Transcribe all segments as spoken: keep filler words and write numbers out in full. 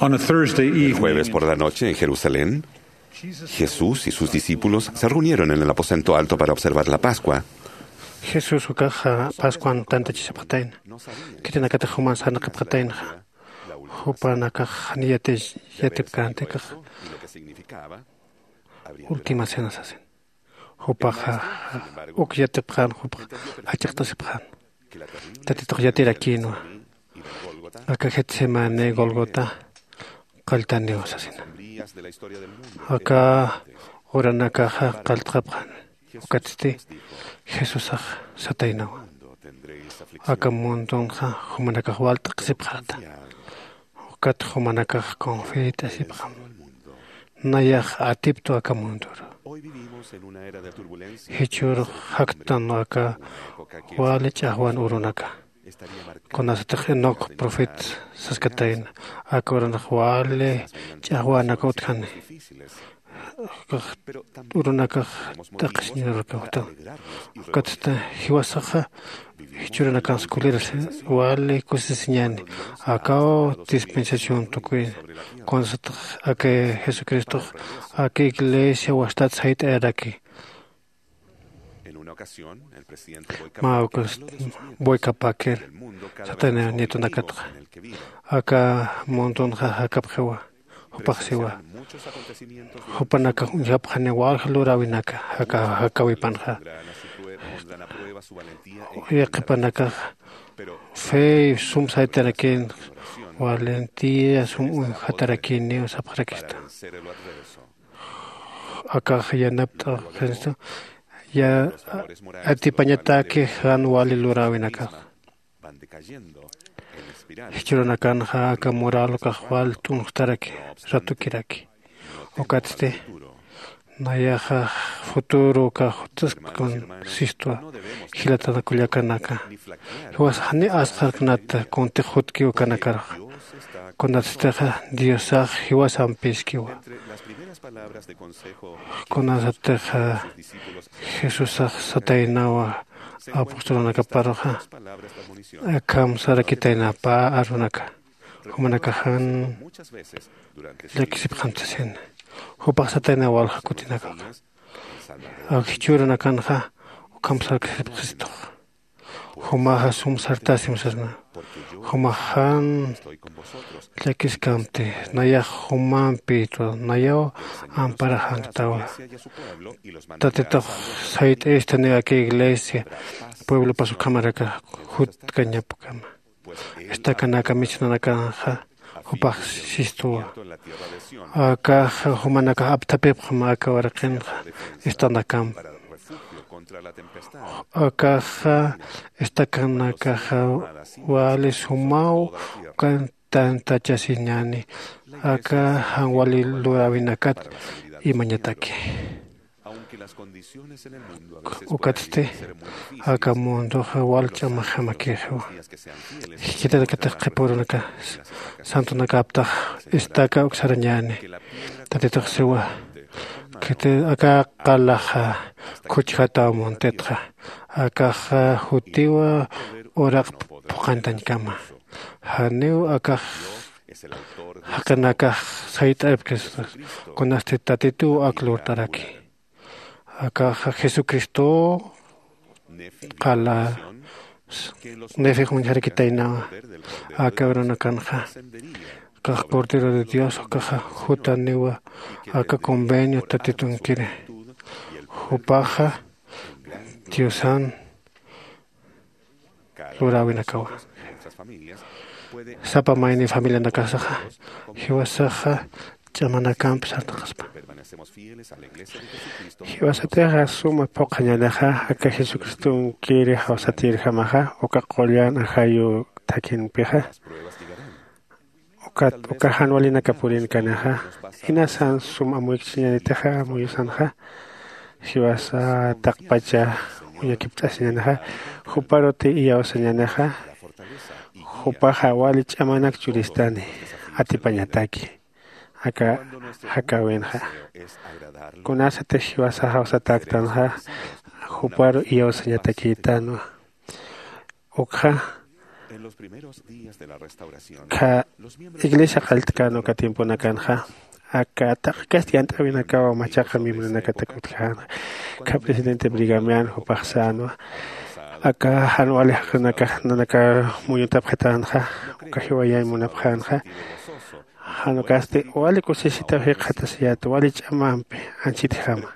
On a Thursday El evening jueves por la noche en Jerusalén, Jesús y sus discípulos se reunieron en el aposento alto para observar la Pascua. Jesús ukaxa Pascuan tantachisipxatayna. Khitinakatix juman sarnaqipxataynaxa. Jupanakax jani yati yatipkänti kax. Última cena sasin. Jupaxa uk yatipxän jupax jachaqtasipxän. Tatitux yatirakïnwa. Aka Getsemani, Golgota qalltaniw sasina. Aka uranakaxa qalltxapxän. Ukatsti Jesusax sataynawa. Aka mundunxa jumanakax wal t'aqhisipxäta. Ukat jumanakax confiat'asipxam. Nayax atiptu aka mundur. Jichhürux jaktan aka wali ch'axwan urunaka. Kunasatix Enoc profeta saskatayna, aka urunakax wali ch'axwanaka utjani. Urunakax t'aqhisiñarurkawta. Ukatsti jiwasaxa jichhürunakans kulirasi wali kusisiñäni. Akaw dispensación tukuy. Kunasatix aka Jesucristox aka iglesia wastat sayt'ayaraki. Mä ukas Boyka Packer satayna nietonakatxa. Aka mundunxa jakapxiwa. Jupax siwa. Jupanakax uñjapxani walja luräwinaka jaka jakawipanxa. Yaqhipanakax fe sum saytarakin, valentía sum uñjatarakiniw sapxarakista. Akax yanapt'axinstu ya atipañataki jan wali luräwinakax. Jichhürunakanxa aka moral ukax wal t'unxtaraki, ratukiraki. Ukatsti nayaxa futuro ukax jutsaskun sistwa. Jilatana kullakanaka, jiwasax jani asqharknata kuntix jutki ukanakaruxa. Kunatstixa Diosax jiwasampiskiwa. Kunasatixa Jesusax sataynawa apostolunakaparuxa, akham sarakitayna pä arunaka. Jumanakax jan llakisipxam sasin. Jupax satayna walja kutinakaxa. Jichhürunakanxa ukham sarakisipxistux. Jumaxa sum sartasim sasna. Jumax jan llakiskamti, nayax jumampïtwa, nayaw amparaxanktawa. Tatitux sayt'ayistaniw aka iglesia pueblopas ukhamaraka jutkañapkama. Estacanaka misionanakanxa jupax sistuwa. Akaxa jumanakax apthapipxam aka waraqinxa estanakamp. Akaxa estacanakaxa wali sumaw ukan tantachasiñäni aka jan wali luräwinakat imañataki. Ukatsti aka munduxa wal ch'amaxamakïxiwa. Jichhatanakatix qhipürunaka santunakaptax estaca uksarañäni. Tatitux siwa, khiti aka qalaxa khuchjataw muntitxa. Akaxa jutiwa uraq phuqhantañkama. Janiw akax jaqinakax sayt'apkis, kunasti Tatituw ak lurt'araki. Akaxa Jesucristow qala Nefix uñjarakitaynawa. Aka urunakanxa akax Cordero de Dios ukaxa jutaniwa aka convenio Tatitunkiri. Jupaxa Diosan luräwinakawa. Sapa mayni familianakasaxa jiwasaxa ch'amanakamp sartaqaspa. Jiwasatixa suma phuqhañänixa aka Jesucristonkiri jawsatïrjamaxa uka qullan ajayu thakinpixa. Ukat uka jan walinaka purinkanixa, inasan sum amuyksiñanitixa amuyusanxa, jiwasa taqpacha uñakipt'asiñanixa, juparuti iyawsañanixa, jupaxa wali ch'amanak churistani atipañataki aka jakäwinxa. Kunasatix jiwasa jawsatäktanxa, juparu iyawsañatakïtanwa. Ukxa Kha iglesia qallt'kän uka tiemponakanxa, aka taqi kasti yant'äwinakaw machaqa miembronakatak utjäna. Kha presidente Brigamian jupax sänwa, aka jan wali jaqinakax nanaka muñutapxitänxa, uka jiwayañ munapxänxa. Jan ukasti wali kusisitaw jikxatasiyät wali ch'amampi anchitjama.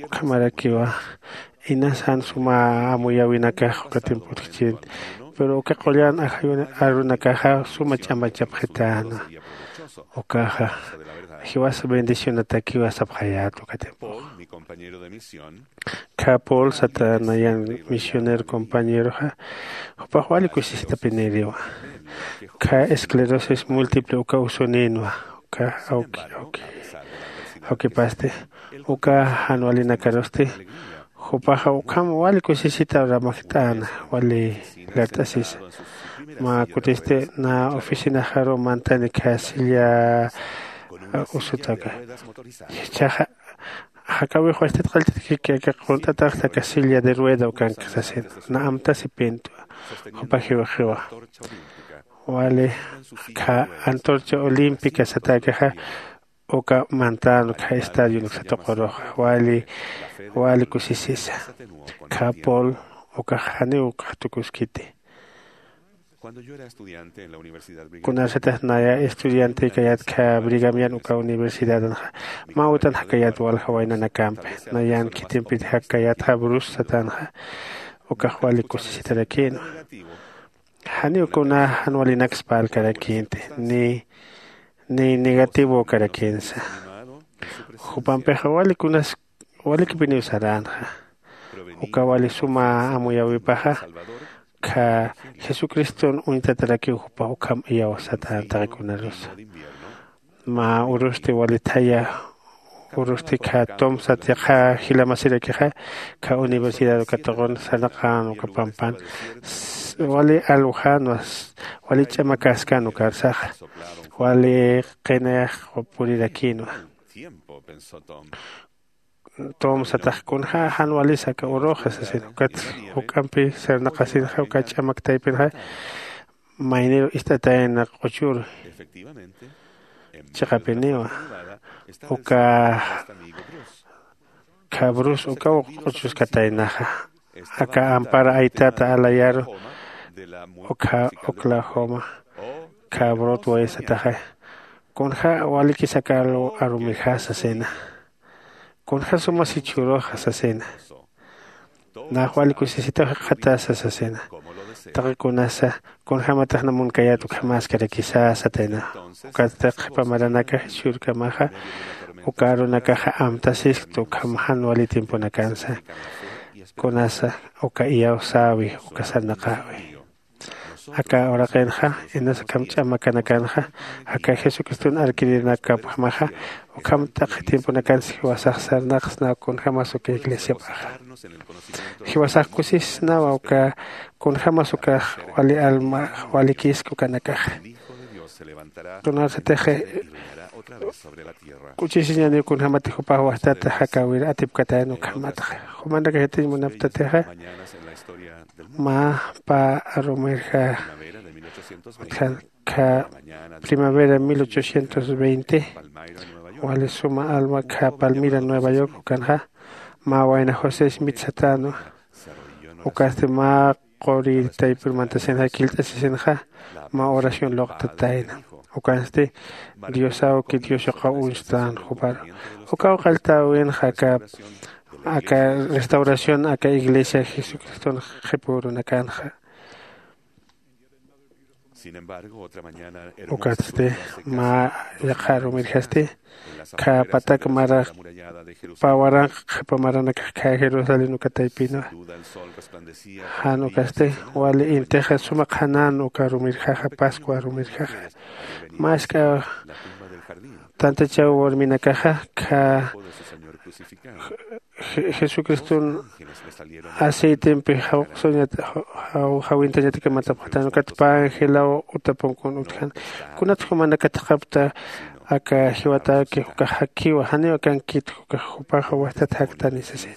Ukhamarakiwa inas jan suma amuyäwinakax uka tiempo utjchin, pero uka qullan arunakaxa suma ch'amachapxitäna. Ukaxa jiwas bendicionatakiwa sapxayät uka tiempox. Kha Paul sata nayan misionero compañeroxa, jupax wali kusisitapiniriwa. Kha esclerosis múltiple uka usuninwa, uka awki awki awkipasti, uka jan walinakarusti, jupaxa ukham wali kusisita ramakt'äna, wali lart'asisa. Mä kutisti na oficinaxaru mantani kha silla usutaka. Jichhaxa jakawix wachtat qallt'atkiki aka qunt'ataxta aka silla de rueda ukanki sasin, na amtasipintu. Jupa jiwaxiwa wali kha antorcha olímpica satäkaxa, uka mantän uka estadio nuksatuquruxa wali wali kusisisa. Kha Paul ukax janiw ukax tukuskiti. Kunarsatix naya estudianti kayät kha Brigamian uka universidadanxa, mä utan jakayät walja waynanakampi, nayan khitimpit jakayätxa Brus satanxa, ukax wali kusisitarakïnwa. Janiw kuna jan walinaksa parlkarakïnti, ni ni negativo karakïnsa. Jupampixa wali kunas walikipiniw saränxa. Uka wali suma amuyäwipaxa, kha jesucriston uñtatarakiw jupa ukham iyawsatän taqikunarusa. Mä urusti wali thaya urusti kha tom sat yaqha jilamasirakixa, kha universidad uka tuqun sarnaqän uka pampan wali alwjänwa, wali ch'amakäskän ukarsaxa, wali qinayax purirakïnwa. Tom satax kunjä jan walisa aka uruxa sasin, ukat juk'ampi sarnaqasinxa uka ch'amak taypinxa, mayniru ist'atayna q'uchur chiqapiniwa. Uka khabrus ukaw q'uchuskataynaxa, aka ampara aytata alayaru ukha oklahoma khabrot waysataxa. Kunja walikisakalu arumirjasa sena. Kunja sumasi churuxa sasena. Nax wali kusisitaw jikxatasa sasena. Taqi kunasa kunjämatix namunkayät ukhamaskarakisa satayna. Ukatsti qhipa maranakax jichhürkamaxa uka arunakaxa amtasiskta ukham jan wali tiemponakansa. Kunasa uka iyawsäwi uka sarnaqäwi. Aka uraqinxa inas akham ch'amakanakanxa aka jesucriston arkirinakapjamaxa ukham taqi tiemponakansa jiwasax sarnaqsnaw kunjämas uka iglesiapaxa. Jiwasax kusisnawa uka kunjämas ukax wali alma walikisk ukanakaxa. Tunarsatix k'uchisiñaniw kunjämatix jupax wajtata jakäwir atipkatayan ukhamatxa. Jumanakax yatiñ munaptatixa mä pä arumirja utjan kha primavera mil ochocientos veinte wali suma alma kha palmira nueva york ukanxa mä wayna josé smith satänwa. Ukasti mä quri taypir mantasinxa killt'asisinxa mä oración luqtatayna. Ukansti diosawki dios yuqaw uñstän juparu ukaw qalltäwinxa aka aka restauración aka iglesia jesucriston qhipürunakanxa. Ukatsti mä yaqha arumirjasti kha patak mara pä waranqa qhipa maranakax kha jerusalén uka taypinwa. Jan ukasti wali intixa suma qhanän uka arumirjaxa pascua arumirjaxa. Mä isk'a tantachaw warminakaxa kha jesucriston aceitempi jawq'suñat jawintañatak matapxtan ukat pä angelaw utapunkun utjan. Kunat jumanakatxapta aka jiwataki ukax jakiwa janiw akankitu ukax jupaxa wajtat jaktani sasina.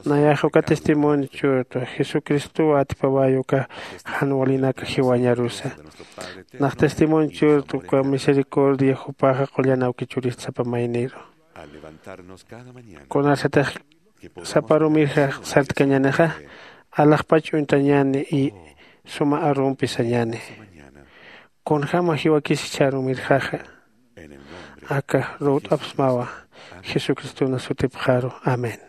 Nayax uka testimonio churtu jesucristowa atipaway uka jan walinaka jiwañarusa. Nax testimonio churtu uka misericordia jupaxa qullan awki churista sapa mayniru. Kunasatix sapa rumirxa sartkañänixa alaxpach uñtañäni y suma arumpi sañäni. Kunjäma jiwakis jichha rumirxaxa aka ruwt'apxsmawa jesucriston sutipxaru. Amén.